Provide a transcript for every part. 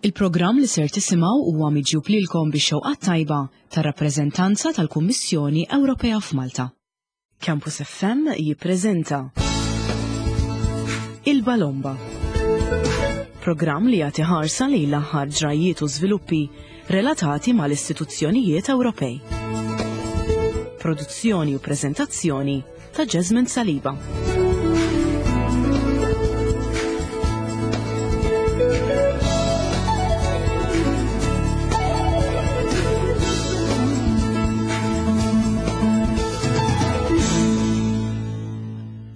Il-programm li ser tisimgħu huwa miġjub lilkom bix-xewqat tajba tar-rappreżentanza tal-Kummissjoni Ewropea f'Malta. Campus FM jippreżenta Il-Balomba. Programm li jagħti ħarsa lejn l-aħħar ġrajjiet u żviluppi relatati mal-istituzzjonijiet Ewropej. Produzzjoni u preżentazzjoni ta' Jasmine Saliba.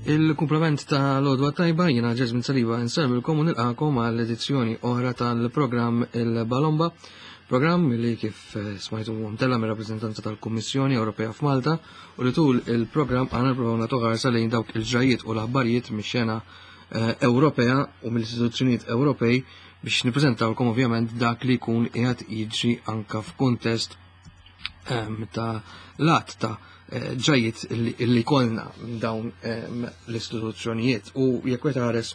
Il-kumplament ta' l-odwa tajba jina Jasmine Saliba nsellmilkom u nilqakom għall edizzjoni oħra tal-programm Il-Balomba, programm li kif eh, smajtu mtella mir-rappreżentanza tal-Kummissjoni Ewropea f'Malta u li tul il-programm għana nipprovaw nagħtu ħarsa lejn dawk il-ġrajiet u l-aħbarijiet mix-xena eh, Ewropea u mill-istituzzjonijiet Ewropej biex nippreżentawlkom ovvjament dak li jkun qiegħed jiġri anka f'kuntest ehm, ta' lat ta' eh, ġrajiet li kolna minn dawn ehm, l-istituzzjonijiet u jekk wieħed ħares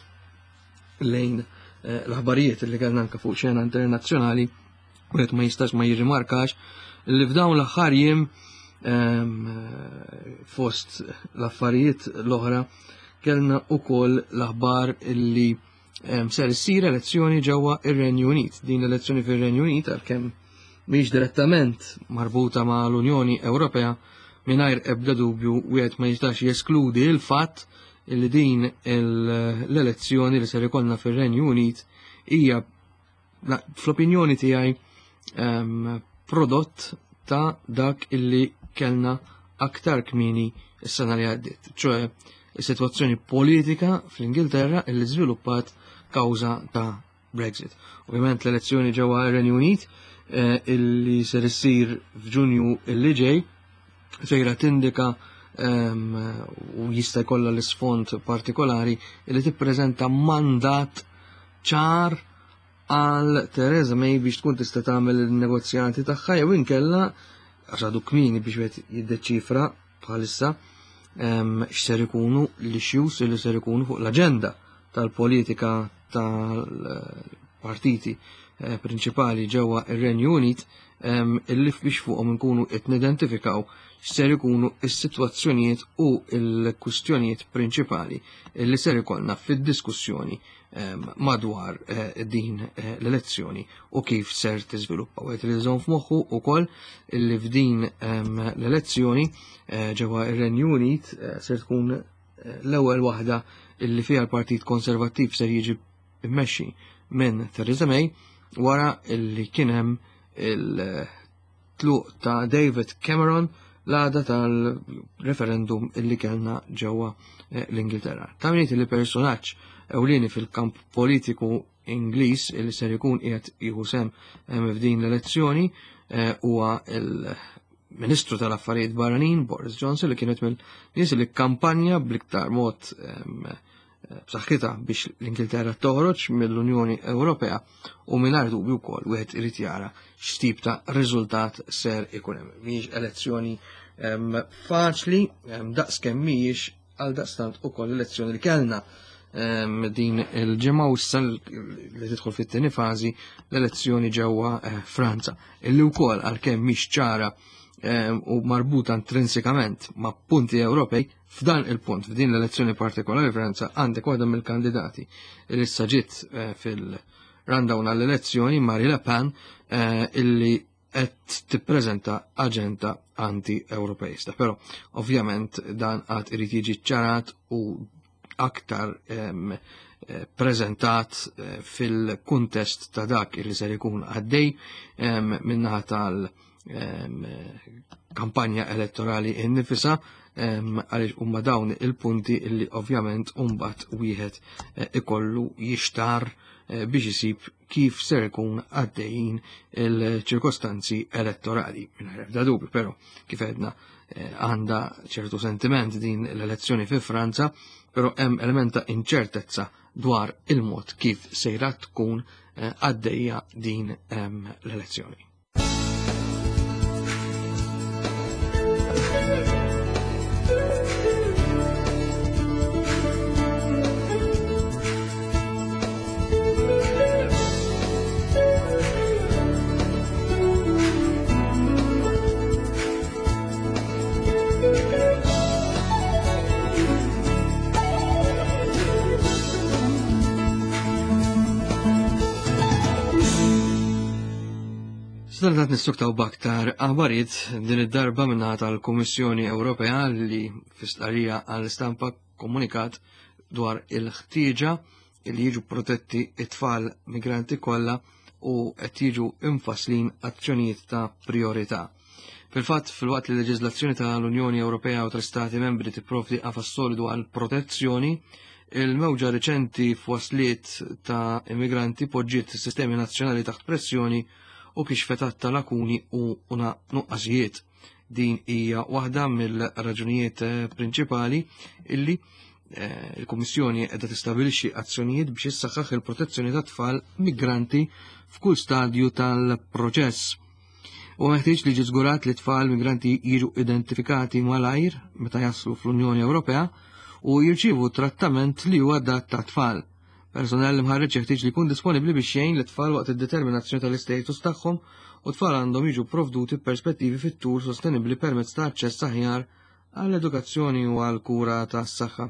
lejn eh, l-aħbarijiet li kellna anka fuq xena internazzjonali wieħed ma jistax ma jirrimarkax li f'dawn l-aħħar jiem ehm, fost l-affarijiet l-oħra kellna ukoll l-aħbar li ehm, ser issir elezzjoni ġewwa ir-Renju Unit. Din l-elezzjoni fir-Renju Unit għalkemm mhix direttament marbuta ma' l-Unjoni Ewropea mingħajr ebda dubju wieħed ma jistax jeskludi l-fatt li din l-elezzjoni li ser ikollna fir-Renju Unit hija fl-opinjoni tiegħi ehm, prodott ta' dak illi kellna aktar kmini s-sena li għaddiet, ċoħe is-sitwazzjoni politika fl-Ingilterra illi żviluppat kawża ta' Brexit. Ovvjament l-elezzjoni ġewwa r-Renju Unit eh, illi ser issir f'Ġunju illi ġej sejra tindika ehm, u jista' jkollha l-isfond partikolari illi tippreżenta mandat ċar għal Theresa May biex tkun tista' tagħmel il-negozjati tagħha jew inkella għax għadu kmieni biex wieħed jiddeċifra bħalissa ehm, x'ser ikunu l-issues li ser ikunu fuq l-aġenda tal-politika tal-partiti eh, prinċipali ġewwa ir-Renju Unit ehm, illi biex fuqhom nkunu qed nidentifikaw x'ser ikunu s-sitwazzjonijiet u l-kwistjonijiet prinċipali li ser ikollna fid-diskussjoni ehm, madwar eh, din eh, l-elezzjoni u kif ser tiżviluppa. U qed li f'moħħu wkoll li f'din ehm, l-elezzjoni eh, ġewwa ir-Renju Unit ser tkun l-ewwel waħda illi fiha l-Partit Konservattiv ser jiġi immexxi minn Theresa May wara illi kien hemm il-tluq ta' David Cameron l-għada tal-referendum illi kellna ġewwa eh, l-Ingilterra. Ta' minit li personaġġ ewlieni fil-kamp politiku Ingliż illi ser ikun qiegħed jieħu sem eh, f'din l-elezzjoni eh, huwa il-Ministru tal-Affarijiet Barranin Boris Johnson li kienet mill-nies li kampanja bl-iktar mod b'saħħitha biex l-Ingilterra toħroġ mill-Unjoni Ewropea u mingħajr dubju wkoll wieħed irid jara x'tip ta' riżultat ser ikun hemm. Mhijiex elezzjoni faċli daqs kemm mhijiex għal daqstant ukoll elezzjoni li kellna din il-ġimgħa u issa li tidħol fit-tieni fażi l-elezzjoni ġewwa eh, Franza. Illi wkoll għalkemm mhix ċara u marbuta intrinsikament ma' punti Ewropej F'dan il-punt, f'din l-elezzjoni partikolari Franza, għandek waħda mill-kandidati li issa ġiet eh, fil-rundown għall-elezzjoni, Marie Le Pen, eh, illi qed tippreżenta aġenda anti-Ewropeista. Però ovvjament dan għad irid jiġi ċarat u aktar eh, preżentat fil-kuntest ta' dak li ser ikun għaddej minnaħa tal- kampanja elettorali innifisa għaliex huma dawn il-punti li ovvjament mbagħad wieħed eh, ikollu jixtar eh, biex isib kif ser ikun għaddejjin il-ċirkostanzi elettorali. Mingħajr ebda dubju, però kif għedna eh, għandha ċertu sentiment din l-elezzjoni fi Franza, però hemm element ta' inċertezza dwar il-mod kif sejra tkun għaddejja din l-elezzjoni. Sadanittant nissuktaw b'aktar aħbarijiet din id-darba minnaħa tal-Kummissjoni Ewropea li fi stqarrija għall-istampa komunikat dwar il-ħtieġa li jiġu protetti it-tfal migranti kollha u qed jiġu imfasslin azzjonijiet ta' priorità. Fil-fatt, filwaqt li l-leġiżlazzjoni tal-Unjoni Ewropea u tal-Istati Membri tipprovdi qafas solidu għal protezzjoni, il-mewġa riċenti f'wasliet ta' immigranti poġġiet is-sistemi nazzjonali taħt pressjoni u kixfet għadd ta' lakuni u nuqqasijiet. Din hija waħda mill-raġunijiet eh, prinċipali illi eh, il-Kummissjoni qiegħda tistabilixxi azzjonijiet biex issaħħaħ il-protezzjoni ta' tfal migranti f'kull stadju tal-proċess. U meħtieġ li ġi żgurat li tfal migranti jiġu identifikati malajr meta jaslu fl-Unjoni Ewropea u jirċievu trattament li huwa adatt ta' tfal. Personell imħarreġ jeħtieġ li jkun disponibbli biex jgħin lit-tfal waqt id-determinazzjoni tal-istatus tagħhom u tfal għandhom jiġu provduti perspettivi fit-tul sostenibbli permezz ta' aċċess aħjar għall-edukazzjoni u għall-kura tas-saħħa.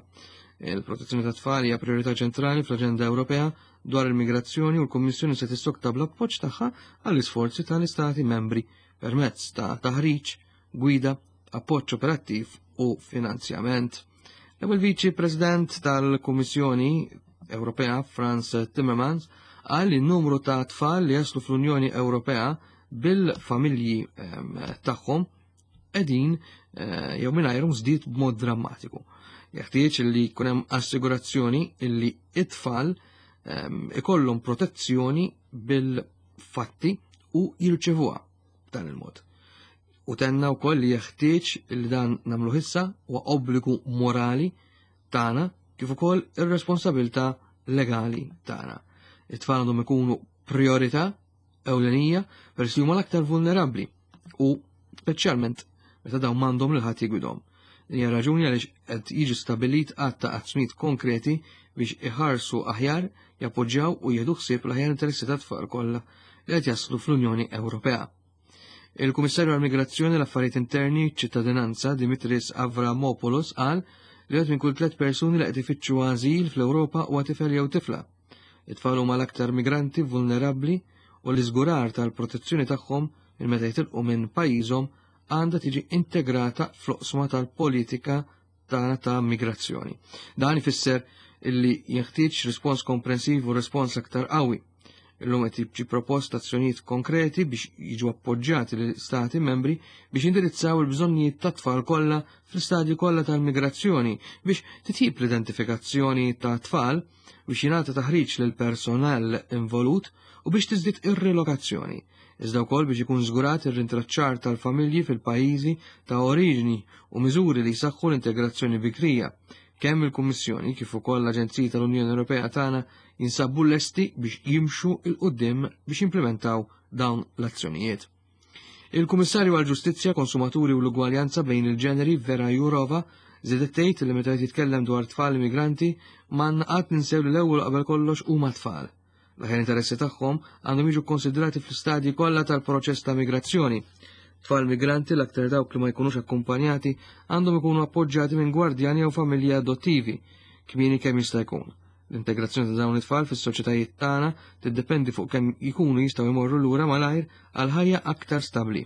Il-protezzjoni tat-tfal hija priorità ċentrali fl-Aġenda Ewropea dwar il-migrazzjoni u l-Kummissjoni se tissokta bl-appoġġ tagħha għall-isforzi tal-Istati membri permezz ta' taħriġ, gwida, appoġġ operattiv u finanzjament. L-ewwel Viċi President tal-Kummissjoni Ewropea Frans Timmermans qal li n-numru ta' tfal li jaslu fl-Unjoni Ewropea bil-familji ehm, tagħhom qegħdin eh, jew mingħajrhom żdied b'mod drammatiku. Jeħtieġ li jkun hemm assigurazzjoni illi it-tfal ehm, ikollhom protezzjoni bil-fatti u jirċevuha b'dan il-mod. U tenna wkoll li jeħtieġ li dan nagħmlu issa huwa obbligu morali tagħna kif ukoll ir-responsabilità legali tagħna. It-tfal għandhom ikunu priorità ewlenija peress li huma l-aktar vulnerabbli u speċjalment meta dawn m'għandhom lil ħadd jigwidhom. Din hija raġuni għaliex qed jiġi stabbilit għadd ta' azzjonijiet konkreti biex iħarsu aħjar, jappoġġjaw u jieħdu ħsieb l-aħjar interessi tat-tfal kollha li qed jaslu fl-Unjoni Ewropea. Il-Kummissarju għall-Migrazzjoni, l-Affarijiet Interni, ċittadinanza Dimitris Avramopoulos qal li qed minn kull tliet persuni li qed ifittxu għażil fl-Ewropa huwa tifel jew tifla. It-tfal huma l-aktar migranti vulnerabbli u l-iżgurar tal-protezzjoni tagħhom minn meta jitilqu minn pajjiżhom għandha tiġi integrata fl-oqsma tal-politika tagħna ta' migrazzjoni. Dan ifisser illi jeħtieġ rispons komprensiv u rispons aktar qawwi. Illum qed jiġi propost azzjonijiet konkreti biex jiġu appoġġjati l-Stati membri biex indirizzaw il-bżonnijiet tat-tfal kollha fl-istadji kollha tal-migrazzjoni biex titjib l-identifikazzjoni ta' tfal biex jingħata taħriġ lil personal involut u biex tiżdied ir-rilokazzjoni, iżda wkoll biex ikun żgurat ir-rintraċċar tal-familji fil-pajjiżi ta' oriġini u miżuri li jsaħħu l-integrazzjoni bikrija. Kemm il-Kummissjoni kif ukoll l-Aġenziji tal-Unjoni Ewropea tagħna jinsabu lesti biex jimxu 'l quddiem biex jimplementaw dawn l-azzjonijiet. Il-Kummissarju għall-Ġustizzja, Konsumaturi u l-Ugwaljanza bejn il-Ġeneri Vera Jourova żiedet tgħid li meta qed jitkellem dwar tfal immigranti m'għandna qatt ninsew li l-ewwel qabel kollox huma tfal. L-aħjar interessi tagħhom għandhom jiġu kkonsidrati fl-istadji kollha tal-proċess ta' migrazzjoni. Tfal migranti l-aktar dawk li ma jkunux akkumpanjati għandhom ikunu appoġġjati minn gwardjani jew familji adottivi kmieni kemm jista' jkun. L-integrazzjoni ta' dawn it-tfal fis-soċjetajiet tagħna tiddependi fuq kemm jkunu jistgħu jmorru lura malajr għal ħajja aktar stabbli.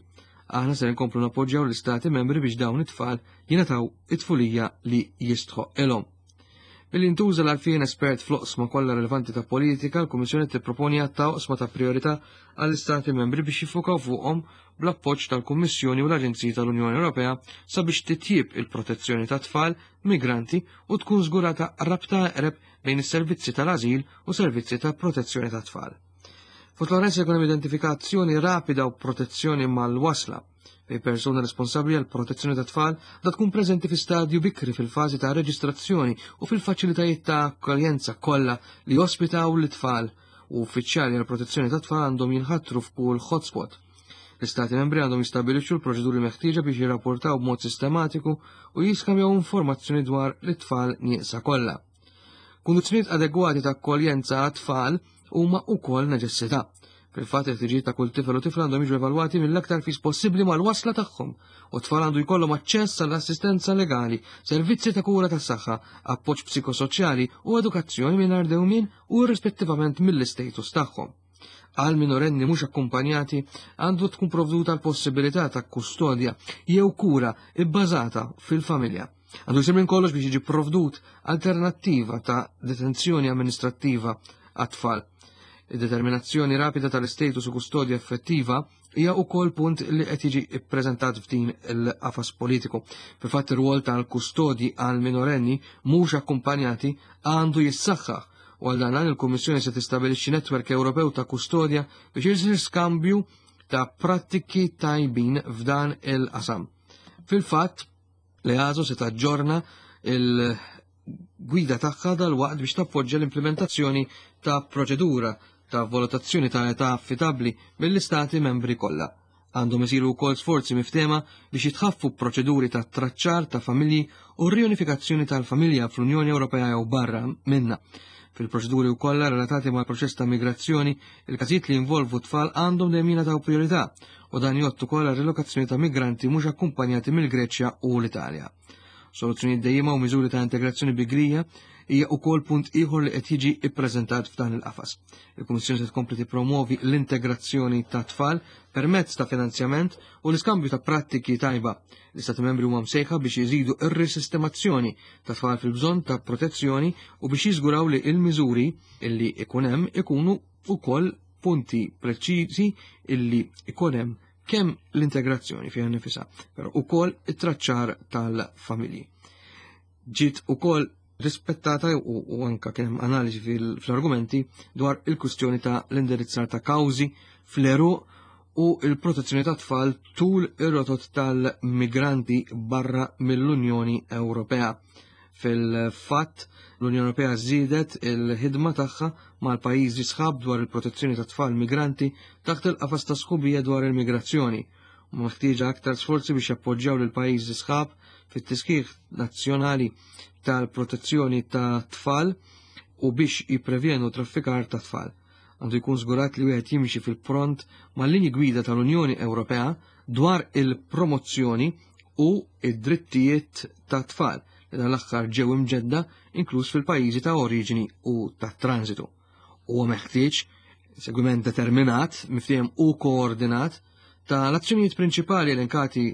Aħna ser inkomplu nappoġġjaw l-istati membri biex dawn it-tfal jingħataw it-tfulija li jistħoq ilhom. Billi ntuża l-għarfien espert fl-oqsma kollha relevanti ta' politika, l-Kummissjoni tipproponi għadd ta' oqsma ta' priorità għall-Istati membri biex jiffukaw fuqhom bl-appoġġ tal-Kummissjoni u l-Aġenziji tal-Unjoni Ewropea sabiex titjib il-protezzjoni ta' tfal migranti u tkun żgurata rabta eqreb bejn is-servizzi tal-ażil u servizzi ta' protezzjoni ta' tfal. Fost l-oħrajn se jkun hemm identifikazzjoni rapida u protezzjoni mal-wasla fejn persuna responsabbli għal protezzjoni ta' tfal da tkun preżenti fi stadju bikri fil-fażi ta' reġistrazzjoni u fil-faċilitajiet ta' akkoljenza kollha li jospitaw l-tfal u uffiċjali għal protezzjoni ta' tfal għandhom jinħatru f'kull hotspot. L-Istati membri għandhom jistabbilixxu l-proċeduri meħtieġa biex jirrapportaw b'mod sistematiku u jiskambjaw informazzjoni dwar l-tfal nieqsa kollha. Kundizzjonijiet adegwati ta' akkoljenza għat-tfal huma wkoll neċessità. Fil-fatt il-ħtiġijiet ta' kull tifel u tifla għandhom jiġu evalwati mill-aktar fis possibbli mal-wasla tagħhom u t-tfal għandu jkollhom aċċess għall-assistenza legali, servizzi ta' kura tas-saħħa, appoġġ psikosoċjali u edukazzjoni mingħajr dewmien u irrispettivament mill-istatus tagħhom. Għal minorenni mhux akkumpanjati għandu tkun provduta l-possibilità ta' kustodja jew kura ibbażata fil-familja. Għandu jsir minn kollox biex jiġi provdut alternattiva ta' detenzjoni amministrattiva għat-tfal. Id-determinazzjoni rapida tal-istatus u kustodja effettiva hija wkoll punt li qed jiġi ppreżentat f'din il-qafas politiku. Fil-fatt ir-rwol tal-kustodji għal minorenni mhux akkumpanjati għandu jissaħħaħ u għal dan il-Kummissjoni se tistabilixxi netwerk Ewropew ta' kustodja biex isir skambju ta' prattiki tajbin f'dan il-qasam. Fil-fatt, l-EASO se taġġorna il-gwida tagħha dal-waqt biex tappoġġja l-implementazzjoni ta' proċedura ta' valutazzjoni ta' età affidabbli mill-istati membri kollha. Għandhom isiru wkoll sforzi miftehma biex jitħaffu proċeduri ta' traċċar ta' familji u r-riunifikazzjoni tal-familja fl-Unjoni Ewropea jew barra minna. Fil-proċeduri wkoll relatati mal-proċess ta' migrazzjoni, il-każijiet li jinvolvu tfal għandhom dejjem jingħataw priorità u dan jgħott ukoll għar-rilokazzjoni ta' migranti mhux akkumpanjati mill-Greċja u l-Italja. Soluzzjonijiet dejjima u miżuri ta' integrazzjoni bigrija hija wkoll punt ieħor li qed jiġi ppreżentat f'dan il-qafas. Il-Kummissjoni se tkompli tippromovi l-integrazzjoni ta' tfal permezz ta' finanzjament u l-iskambju ta' prattiki tajba. L-Istati membri huma msejħa biex jiżidu r-risistemazzjoni ta' tfal fil-bżonn ta' protezzjoni u biex jiżguraw li l-miżuri illi ikun hemm ikunu ukoll punti preċiżi illi ikun hemm kemm l-integrazzjoni fiha nifisha, però ukoll it-traċċar tal-familji. Ġiet ukoll rispettata u, u anka kien hemm analiżi fl-argumenti dwar il-kwistjoni ta' l-indirizzar ta' kawżi fl-eruq u il-protezzjoni ta' tfal tul ir-rotot tal-migranti barra mill-Unjoni Ewropea. Fil-fatt, l-Unjoni Ewropea żiedet il-ħidma tagħha mal-pajjiżi sħab dwar il-protezzjoni ta' tfal migranti taħt il-qafas ta' sħubija dwar il-migrazzjoni. U meħtieġa aktar sforzi biex jappoġġjaw lil pajjiżi sħab fit-tiskih nazzjonali tal-protezzjoni ta' tfal u biex jipprevjenu traffikar ta' tfal. Għandu jkun żgurat li wieħed jimxi fil-pront mal-linji gwida tal-Unjoni Ewropea dwar il-promozzjoni u id-drittijiet ta' tfal li dan l-aħħar ġew imġedda inkluż fil-pajjiżi ta' oriġini u ta' transitu. Huwa meħtieġ segwiment determinat, miftiehem u koordinat ta' l-azzjonijiet prinċipali elenkati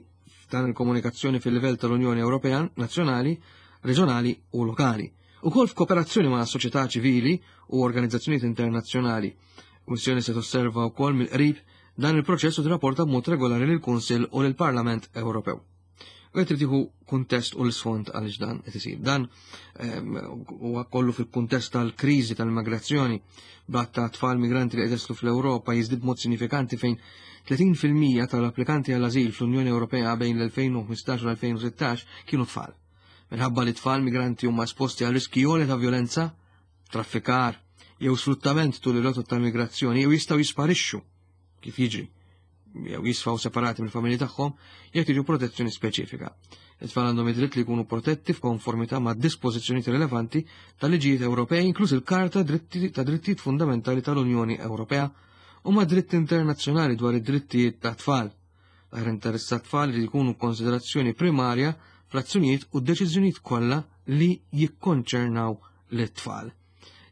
f'dan il-komunikazzjoni fil-livell tal-Unjoni Ewropea, nazzjonali, reġjonali u lokali. Ukoll f'kooperazzjoni ma' soċjetà ċivili u organizzazzjonijiet internazzjonali. Kummissjoni se tosserva wkoll mill-qrib dan il-proċess u tirrapporta b'mod regolari lill-Kunsill u lill-Parlament Ewropew. U qed tieħu kuntest u l-isfond għaliex dan qed isir. Dan huwa kollu fil-kuntest tal-kriżi tal-immigrazzjoni b'għadd ta' tfal migranti li qed jaslu fl-Ewropa jiżdied b'mod sinifikanti fejn 30% tal-applikanti għall-ażil fl-Unjoni Ewropea bejn l-2015 u l-2016 kienu tfal. Minħabba li tfal migranti huma esposti għal riski għolja ta' violenza, traffikar jew sfruttament tul ir-rotot tal-migrazzjoni jew jistgħu jisparixxu kif jiġri jew jisfaw separati mill-familji tagħhom jekk jiġu protezzjoni speċifika. It-tfal għandhom id-dritt li jkunu protetti f'konformità ma' dispożizzjonijiet rilevanti tal-liġijiet Ewropej inkluż il-Karta ta' Drittijiet Fundamentali tal-Unjoni Ewropea u ma' dritt internazzjonali dwar id-drittijiet ta' tfal. L-aħjar interess ta' tfal li jkunu konsiderazzjoni primarja fl-azzjonijiet u d-deċiżjonijiet kollha li jikkonċernaw lit-tfal.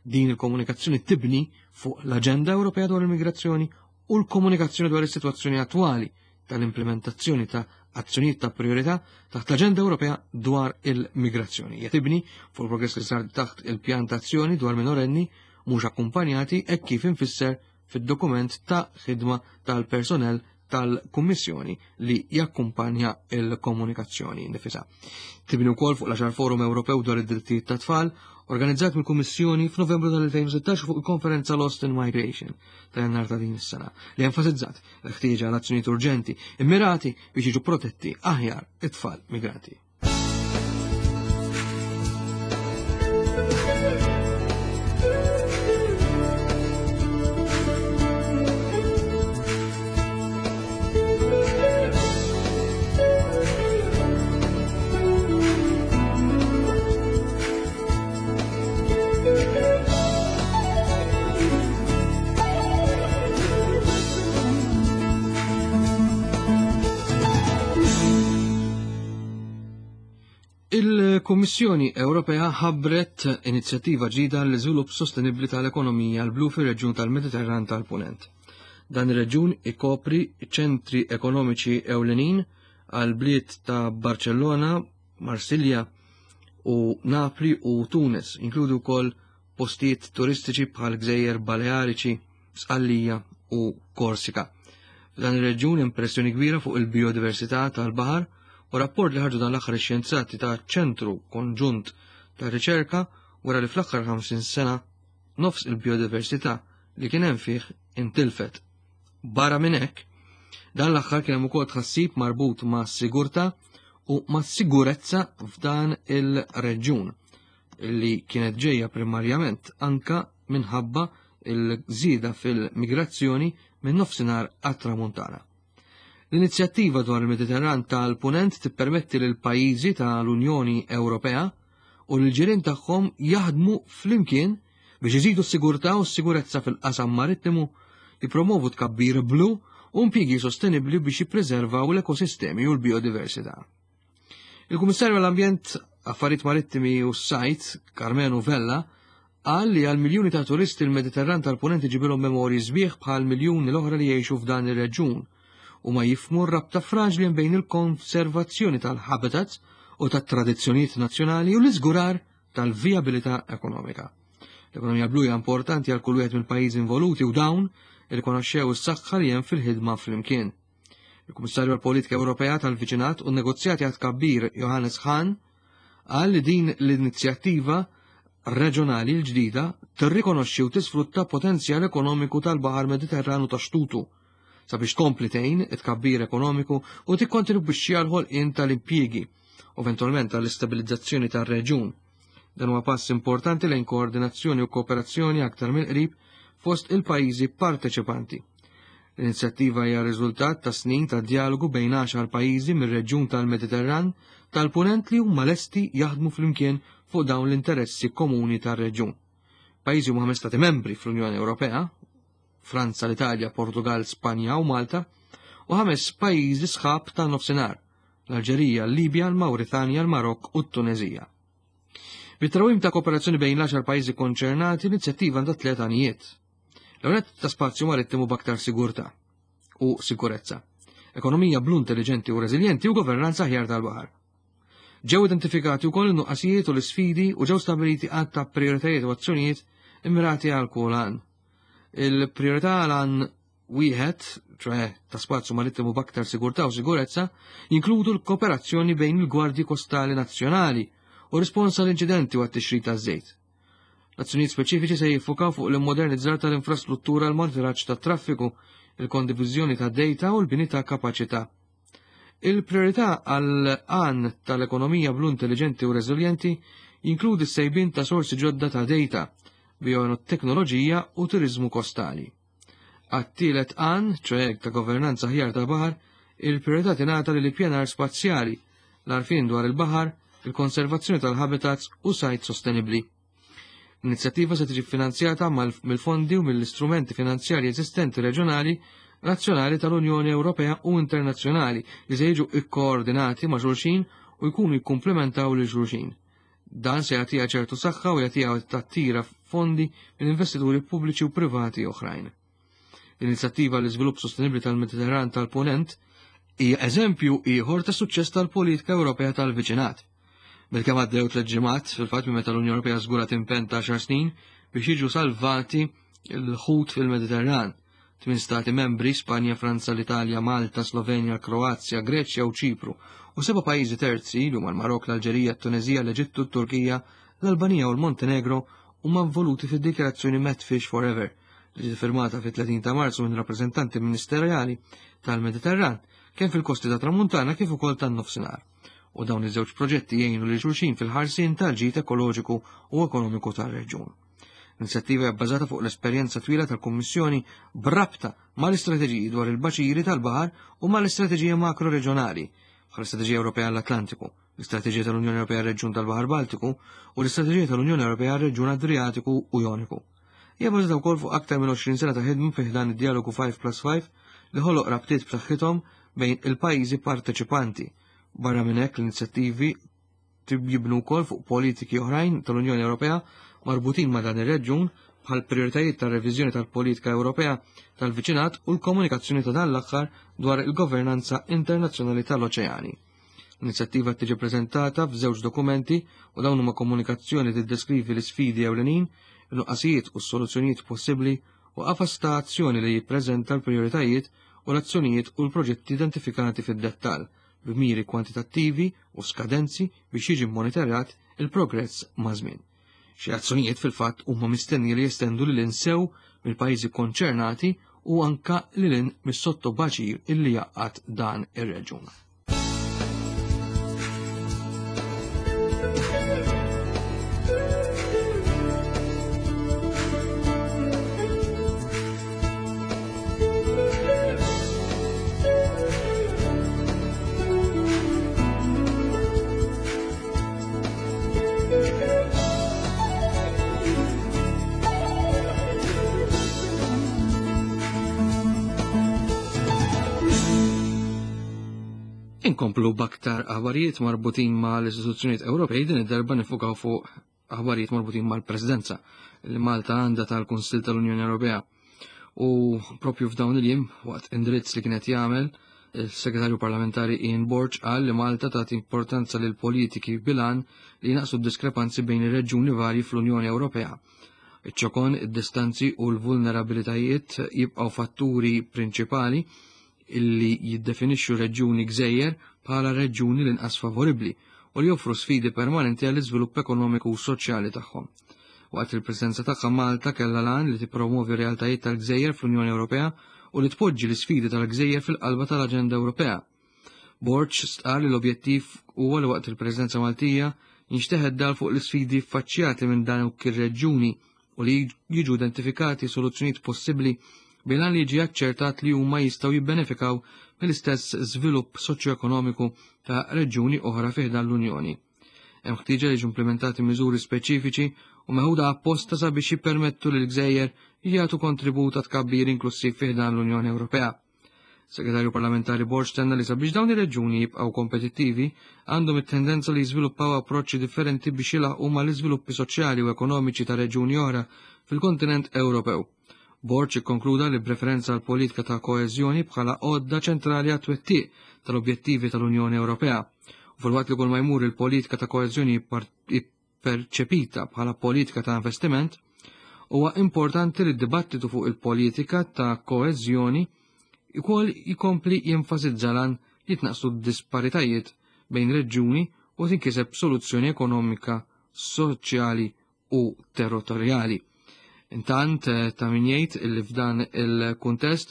Din il-komunikazzjoni tibni fuq l-Aġenda Ewropea dwar il-Migrazzjoni u l-komunikazzjoni dwar is-sitwazzjoni attwali tal-implementazzjoni ta' azzjonijiet ta' priorità taħt l-Aġenda Ewropea dwar il-migrazzjoni. Hija tibni fuq il-progress li sar taħt il-pjan ta' azzjoni dwar minorenni mhux akkumpanjati hekk kif infisser fid-dokument ta' ħidma tal-personell tal-Kummissjoni li jakkumpanja il-komunikazzjoni nifisha. Tibni wkoll fuq l-10 Forum Ewropew dwar id-drittijiet tat-tfal organizzat mill-Kummissjoni f'Novembru tal-2016 fuq il-konferenza Lost in Migration ta' jannar ta' din is-sena li enfasizzat l-ħtieġa għal azzjonijiet urġenti immirati biex jiġu protetti aħjar it-tfal migranti. Il-Kummissjoni Ewropea ħabbret inizjattiva ġdida l-iżvilupp sostenibbli tal-ekonomija l-blu fir-reġjun tal-Mediterran tal-Punent. Dan ir-reġjun ikopri ċentri ekonomiċi ewlenin għal bliet ta' Barcellona, Marsilja u Napli u Tunis, inkludu wkoll postijiet turistiċi bħal Gżejjer Baleariċi, Sqallija u Korsika. F'dan ir-reġjun hemm pressjoni kbira fuq il-bijodiversità tal-baħar u rapport li ħarġu dan l-aħħar ix-xjenzati ta' ċentru konġunt ta' riċerka wara li fl-aħħar 50 sena nofs il-bijodiversità li kien hemm fih intilfet. Barra minn hekk, dan l-aħħar kien hemm ukoll tħassib marbut ma' sigurtà u ma' sigurezza f'dan il-reġjun li kienet ġejja primarjament anka minħabba il-żieda fil-migrazzjoni minn nofsinhar għat-tramuntana. L-inizjattiva dwar il-Mediterran tal-Punent tippermetti lil pajjiżi tal-Unjoni Ewropea u l-ġirien tagħhom jaħdmu flimkien biex iżidu s-sigurtà u s-sigurezza fil-qasam marittimu, jippromovu tkabbir blu u impjiegi sostenibbli biex jippreservaw l-ekosistemi u l-biodiversità. Il-Kummissarju għall-Ambjent, Affarijiet Marittimi u s-Sajt, Karmenu Vella, qal li għal miljuni ta' turisti l-Mediterran tal-Punent iġibilhom memorji sbieħ bħal miljuni l-oħra li jgħixu f'dan ir-reġjun u ma jifhmu r-rabta fraġli bejn il-konservazzjoni tal-habitats u tat-tradizzjonijiet nazzjonali u l-iżgurar tal-vijabilità ekonomika. L-ekonomija blu hija importanti għal kull wieħed mill-pajjiżi involuti u dawn irrikonoxxew is-saħħa li hemm fil-ħidma flimkien. Il-Kummissarju għall-Politika Ewropea tal-Viċinat u n-Negozjati għat Kabbir Johannes Hahn qal li din l-inizjattiva reġjonali l-ġdida tirrikonoxxi u tisfrutta potenzjal ekonomiku tal-Baħar Mediterranu ta' xtutu sabiex tkompli tgħin it-tkabbir ekonomiku u tikkontribwixxi għal ħolqien tal-impjiegi u eventwalment għall-istabilizzazzjoni tar-reġjun. Dan huwa pass importanti lejn koordinazzjoni u kooperazzjoni aktar mill-qrib fost il-pajjiżi parteċipanti. L-inizjattiva hija riżultat ta' snin ta' dialogu bejn għaxar pajjiżi mir-reġjun tal-Mediterran tal-Punent li huma lesti jaħdmu flimkien fuq dawn l-interessi komuni tar-reġjun. Pajjiżi huma ħames stati membri fl-Unjoni Ewropea, Franza, l-Italja, Portugal, Spanja u Malta, u ħames pajjiżi sħab tan-nofsinhar, l-Alġerija, l-Libja, l-Mawritanja, l-Marokk u t-Tunezija. Bit-trawim ta' kooperazzjoni bejn l-10 pajjiżi konċernati, l-inizjattiva għandha tliet għanijiet. L-ewwel ta' spazju marittimu b'aktar sigurtà u sikurezza, ekonomija blu intelligenti u reżiljenti u governanza aħjar tal-baħar. Ġew identifikati wkoll in-nuqqasijiet u l-isfidi u ġew stabiliti għadd ta' prioritajiet u azzjonijiet immirati għal kull għan. Il-priorità għal għan wieħed, ċoħe ta' spazju marittimu b'aktar sigurtà u sigurezza, jinkludu l-kooperazzjoni bejn il-gwardji kostali nazzjonali u rispons għal inċidenti u għat-tixrid taż-żejt. L-azzjonijiet speċifiċi se jiffukaw fuq l-immodernizzar tal-infrastruttura l monitoraġġ tat-traffiku, il-kondiviżjoni ta' data u l-bini ta' kapaċità. Il-priorità għal għan tal-ekonomija blu intelligenti u reżiljenti jinkludi s-sejbin ta' sorsi ġodda ta' data, bioteknoloġija u turizmu kostali. Għat-tielet għan, ċoħe ta' governanza ħjar tal-baħar, il-priorità tingħata lil ippjanar spazjali, l-għarfien dwar il-baħar, il-konservazzjoni tal-habitats u sajt sostenibbli. L-inizjattiva se tiġi finanzjata mill-fondi u mill-istrumenti finanzjarji eżistenti reġjonali, nazzjonali tal-Unjoni Ewropea u internazzjonali li se jiġu ikkoordinati ma' xulxin u jkunu jikkumplementaw lil xulxin. Dan se jagħtiha ċertu saħħa u jagħtiha tattira fondi minn investituri pubbliċi u privati oħrajn. L-inizjattiva l-iżvilupp sostenibbli tal-Mediterran tal-Punent hija eżempju ieħor ta' suċċess tal-politika Ewropea tal-viċinat. Bilkemm għaddew tliet ġimgħat fil-fatt minn meta l-Unjoni Ewropea żgurat impenn ta' xar snin biex jiġu salvati l-ħut fil-Mediterran. Tmien stati membri, Spanja, Franza, l-Italja, Malta, Slovenja, Kroazja, Greċja u Ċipru, u seba' pajjiżi terzi li huma l-Marok, l-Alġerija, t-Tunezija, l-Eġittu, t-Turkija, l-Albanija u l-Montenegro huma involuti fid-dikjarazzjoni Medfish Forever li ġiet firmata fit-30 ta' Marzu minn rappreżentanti ministerjali tal-Mediterran kemm fil-kosti ta' Tramuntana kif ukoll tan-Nofsinhar. U dawn iż-żewġ proġetti jgħinu lil xulxin fil-ħarsien tal-ġid ekoloġiku u ekonomiku tar-reġjun. L-inizjattiva hija bbażata fuq l-esperjenza twila tal-Kummissjoni b'rabta mal-istrateġiji dwar il-baċiri tal-baħar u mal-istrateġija makroreġjonali bħall-Istrateġija Ewropea għall-Atlantiku, l-Istrateġija tal-Unjoni Ewropea għar-Reġjun tal-Baħar Baltiku u l-Istrateġija tal-Unjoni Ewropea għar-Reġjun Adriatiku u Joniku. Hija bbażata wkoll fuq aktar minn 20 sena ta' ħidma fi ħdan id-djalogu 5 plus 5 li ħoloq rabtiet b'saħħithom bejn il-pajjiżi parteċipanti. Barra minn hekk l-inizjattivi jibnu wkoll fuq politiki oħrajn tal-Unjoni Ewropea marbutin ma' dan ir-reġjun bħal prijoritajiet tar-reviżjoni tal-politika Ewropea tal-viċinat u l-komunikazzjoni ta' dan l-aħħar dwar il-governanza internazzjonali tal-oċeani. L-inizjattiva tiġi preżentata f'żewġ dokumenti u dawn huma komunikazzjoni tiddeskrivi l-isfidi ewlenin, il-nuqqasijiet u s-soluzzjonijiet possibbli u qafas ta' azzjoni li jippreżenta l-prijoritajiet u l-azzjonijiet u l-proġetti identifikati fid-dettall b'miri kwantitattivi u skadenzi biex jiġi mmonitorat il-progress maż-żmien. Xi azzjonijiet fil-fatt huma mistennija li jestendu lil hinn sew mill-pajjiżi konċernati u anka lil hinn mis-sottobaċir illi jgħaqqad dan ir-reġjun. Inkomplu b'aktar aħbarijiet marbutin ma' l-istituzzjonijiet Ewropej din id-darba nifukaw fuq aħbarijiet marbutin mal-Presidenza li Malta għandha tal-Kunsill tal-Unjoni Ewropea. U propju f'dawn il-jiem, waqt indirizz li kienet jagħmel, il-Segretarju Parlamentari Ian Borg qal li Malta tagħti importanza lil politiki bilan li jnaqsu d-diskrepanzi bejn ir-reġjuni varji fl-Unjoni Ewropea. Iċ-ċokon, id-distanzi u l-vulnerabilitajiet jibqgħu fatturi prinċipali illi jiddefinixxu reġjuni gżejjer bħala reġjuni l-inqas favoribbli u li joffru sfidi permanenti għall-iżvilupp ekonomiku u soċjali tagħhom. Waqt il-Presidenza tagħha Malta kellha l-għan li tippromovi realtajiet tal-gżejjer fl-Unjoni Ewropea u li tpoġġi l-isfidi tal-gżejjer fil-qalba tal-aġenda Ewropea. Borg stqarr li l-objettiv huwa li waqt il-Presidenza Maltija jinxteħet dal fuq l-isfidi ffaċċjati minn dawk ir-reġjuni u li jiġu identifikati soluzzjonijiet possibbli bil-għan li jiġi aċċertat li huma jistgħu jibbenefikaw mill-istess żvilupp soċjoekonomiku ta' reġjuni oħra fi ħdan l-Unjoni. Hemm ħtieġa li jiġu implimentati miżuri speċifiċi u meħuda apposta sabiex jippermettu lil gżejjer jagħtu kontribut għat tkabbir inklussiv fi ħdan l-Unjoni Ewropea. Segretarju Parlamentari Borg tenna li sabiex dawn ir-reġjuni jibqgħu kompetittivi għandhom it-tendenza li jiżviluppaw approċċi differenti biex jilħqu mal-iżviluppi soċjali u ekonomiċi ta' reġjuni oħra fil-kontinent Ewropew. Borg ikkonkluda li b'referenza għal politika ta' koeżjoni bħala għodda ċentrali għat-twettiq tal-objettivi tal-Unjoni Ewropea. U filwaqt li kull ma jmur il-politika ta' koeżjoni perċepita bħala politika ta' investiment, huwa importanti li d-dibattitu fuq il-politika ta' koeżjoni ukoll jkompli jenfasizza lan li jitnaqqsu d-disparitajiet bejn reġjuni u tinkiseb soluzzjoni ekonomika, soċjali u territorjali. Intant eh, ta' min jgħid li f'dan il-kuntest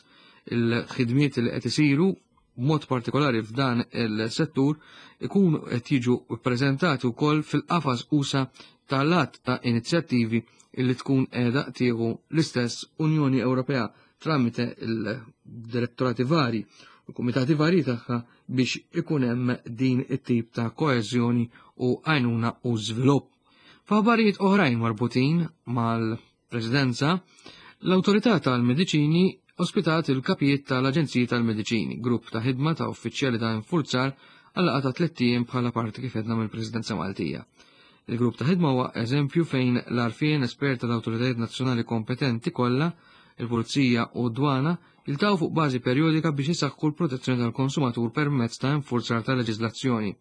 il-ħidmiet li qed isiru b'mod partikolari f'dan il-settur ikunu qed jiġu ppreżentati wkoll fil-qafas usa tal-att ta' inizjattivi illi tkun qiegħda tieħu l-istess Unjoni Ewropea tramite il-direttorati vari u kumitati vari tagħha biex ikun hemm din it-tip ta' koeżjoni u għajnuna u żvilupp. F'aħbarijiet oħrajn marbutin mal Presidenza, l-Awtorità tal-Mediċini ospitat il-kapijiet tal-Aġenziji tal-Mediċini, grupp ta' ħidma ta' uffiċjali ta' infurzar għal laqgħa ta' tlett ijiem bħala parti kif għedna mill-Presidenza Maltija. Il-grupp ta' ħidma huwa eżempju fejn l-għarfien espert tal-awtoritajiet nazzjonali kompetenti kollha, il-Pulizija u d-Dwana, jiltaqgħu fuq bażi perjodika biex isaħħu l-protezzjoni tal-konsumatur permezz ta' infurzar ta' leġiżlazzjoni.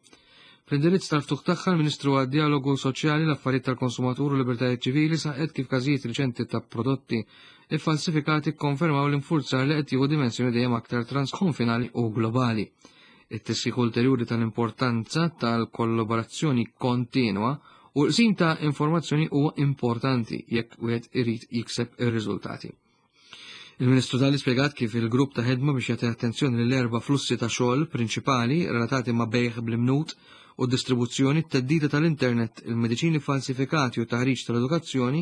Fl-indirizz tal-ftuħ tagħha l-Ministru għad-Djalogu Soċjali, l-Affarijiet tal-Konsumatur u Libertajiet Ċivili saħqet kif każijiet riċenti ta' prodotti iffalsifikati kkonfermaw l-infurzar li qed jieħu dimensjoni dejjem aktar transkonfinali u globali. It-tisħiħ ulterjuri tal-importanza tal-kollaborazzjoni kontinwa u l-qsim ta' informazzjoni huwa importanti jekk wieħed irid jikseb ir-riżultati. Il-Ministru Dalli spjegat kif il-grupp ta' ħidma biex jagħti attenzjoni lil erba' flussi ta' xogħol prinċipali relatati ma' bejgħ bl-imnut u distribuzzjoni, t-theddida tal-internet, il-mediċini falsifikati u taħriġ tal-edukazzjoni,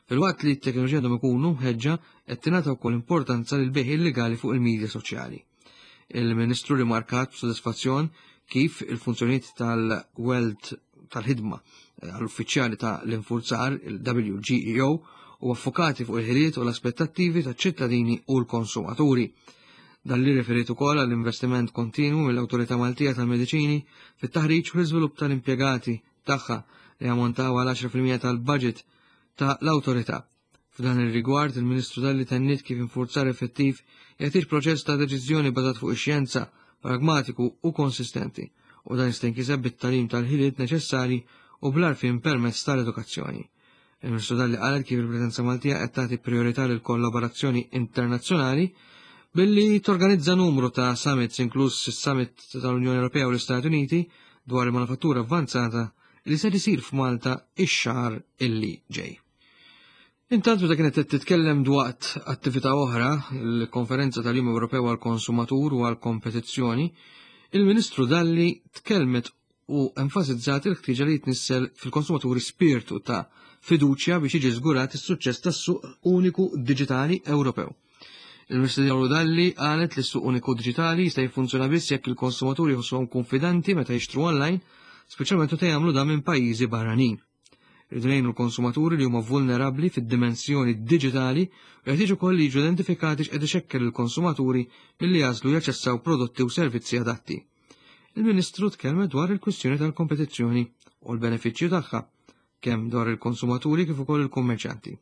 filwaqt li t-teknoloġija għandhom ikunu mħeġġa qed tingħata wkoll importanza lil bejgħ illegali fuq il-midja soċjali. Il-Ministru rimarkat b'sodisfazzjon kif il-funzjonijiet tal-Weld tal-ħidma eh, għall-uffiċjali ta' l-infurzar, il-WGEO, u affokati fuq il-ħiliet u l-aspettattivi ta' ċittadini u l-konsumaturi. Dan li referit ukoll għall-investiment kontinwu mill-Awtorità Maltija tal-Mediċini fit-taħriġ u l-iżvilupp tal-impjegati tagħha li ammontaw għal 10% tal-budget ta' l-awtorità. F'dan ir-rigward, il-Ministru Dalli tenniet kif infurzar effettiv jeħtieġ proċess ta' deċiżjoni bażat fuq ix-xjenza, pragmatiku u konsistenti, u dan jista' jinkiseb bit-tagħlim tal-ħiliet neċessarji u bl-għarfien permezz tal-edukazzjoni. Il-Ministru Dalli qalet kif il-Presidenza Maltija qed tagħti priorità lil kollaborazzjoni internazzjonali billi torganizza numru ta' summits inkluż is-summit tal-Unjoni Ewropea u l-Istati Uniti dwar il-manufattura avvanzata li se isir f'Malta ix-xahar illi ġej. Intant meta kienet qed titkellem dwaqt attività oħra, il-Konferenza tal-Jum Ewropew għall-Konsumatur u għall-Kompetizzjoni, il-Ministru Dalli tkellmet u enfasizzat il-ħtieġa li jitnissel fil-konsumaturi spirtu ta' fiduċja biex jiġi żgurat is-suċċess tas-suq uniku diġitali Ewropew. Il-Ministru Dalli qalet li s-suq uniku diġitali jista' jiffunzjona biss jekk il-konsumaturi jħossuhom konfidenti meta jixtru online, speċjalment meta jagħmlu dan minn pajjiżi barranin. Irridu ngħinu l-konsumaturi li huma vulnerabbli fid-dimensjoni diġitali u jeħtieġ ukoll li jiġu identifikati x'qed ixekkel il-konsumaturi milli jagħżlu jaċċessaw prodotti u servizzi adatti. Il-Ministru tkellmet dwar il-kwistjoni tal-kompetizzjoni u l-benefiċċju tagħha, kemm dwar il-konsumaturi kif ukoll il-kummerċjanti.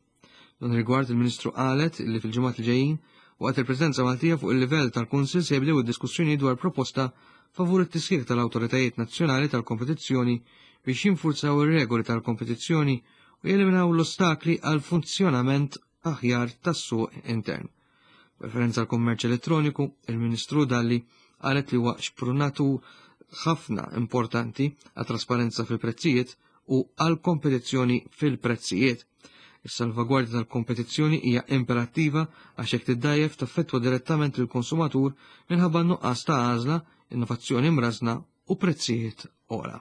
Dan rigward il-Ministru qalet li fil-ġimgħat li ġejjin waqt il-Presidenza Maltija fuq il-livell tal-Kunsill se jibdew id-diskussjoni dwar proposta favur it-tisħiħ tal-awtoritajiet nazzjonali tal-kompetizzjoni biex jinfurzaw ir-regoli tal-kompetizzjoni u jeliminaw l-ostakli għal funzjonament aħjar tas-suq intern. Referenza għal kummerċ elettroniku, il-Ministru Dalli qalet li huwa xprunatu ħafna importanti għat trasparenza fil-prezzijiet u għal kompetizzjoni fil-prezzijiet. Is-salvagwardja tal-kompetizzjoni hija imperattiva għax jekk tiddajjef taffettwa direttament lill-konsumatur minħabba nuqqas ta' għażla, innovazzjoni mrażna u prezzijiet ora.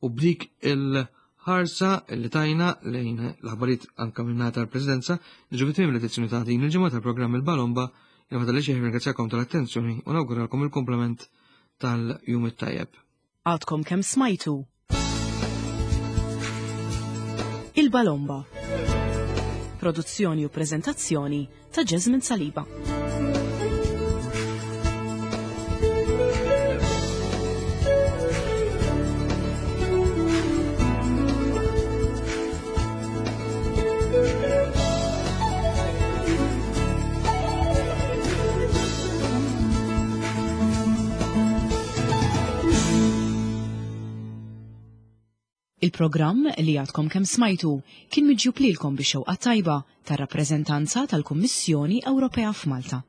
U b'dik il-ħarsa li tajna lejn l-aħbarijiet anka minn tal-Presidenza, niġu fit l-edizzjoni ta' din il-ġimgħa tal-programm il-Balomba, il li xejn ringrazzjakom tal-attenzjoni u nawguralkom il-komplement tal-jum it-tajjeb. Għadkom kemm smajtu Il-Balomba. Produzzjoni u prezentazzjoni ta' Jasmine Saliba. Il-programm li għadkom kemm smajtu kien miġjub lilkom bix-xewqa tajba tar-rappreżentanza tal-Kummissjoni Ewropea f'Malta.